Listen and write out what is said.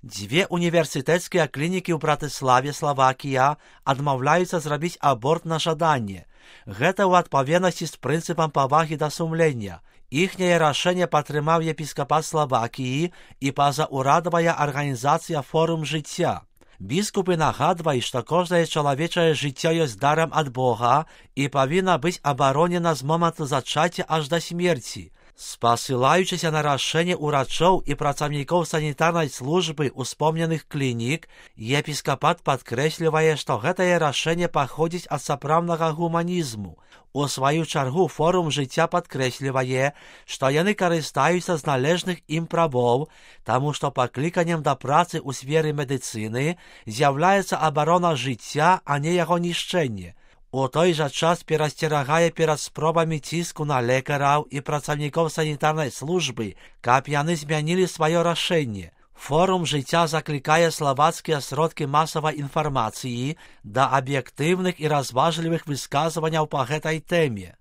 Дзве універсітэцкія клінікі ў Братыславе, Славакія, адмаўляюцца зрабіць аборт на жаданне. Гэта ў адпаведнасці з прынцыпам павагі да сумлення. Іхняе рашэнне падтрымаў епіскапат Славакіі і пазаўрадавая арганізацыя «Форум жыцця». Біскупы нагадваюць, што кожнае чалавечае жыццё ёсць дарам ад Бога і павінна быць абаронена з моманту зачацця аж да смерці. Спасылаючыся на рашэнне ўрачоў і працаўнікоў санітарнай службы ўспомненых клінік, епіскапат падкрэслівае, што гэтае рашэнне паходзіць ад сапраўднага гуманізму. У сваю чаргу форум жыцця падкрэслівае, што яны карыстаюцца з належных ім правоў, таму што пакліканнем да працы ў сферы медыцыны з'яўляецца абарона жыцця, а не яго нішчэнне. У той жа час перасцерагае перад спробамі ціску на лекараў і працаўнікоў санітарнай службы, каб яны змянілі сваё рашэнне. Форум жыцця заклікае славацкія сродкі масавай інфармацыі да аб'ектыўных і разважлівых высказванняў па гэтай тэме.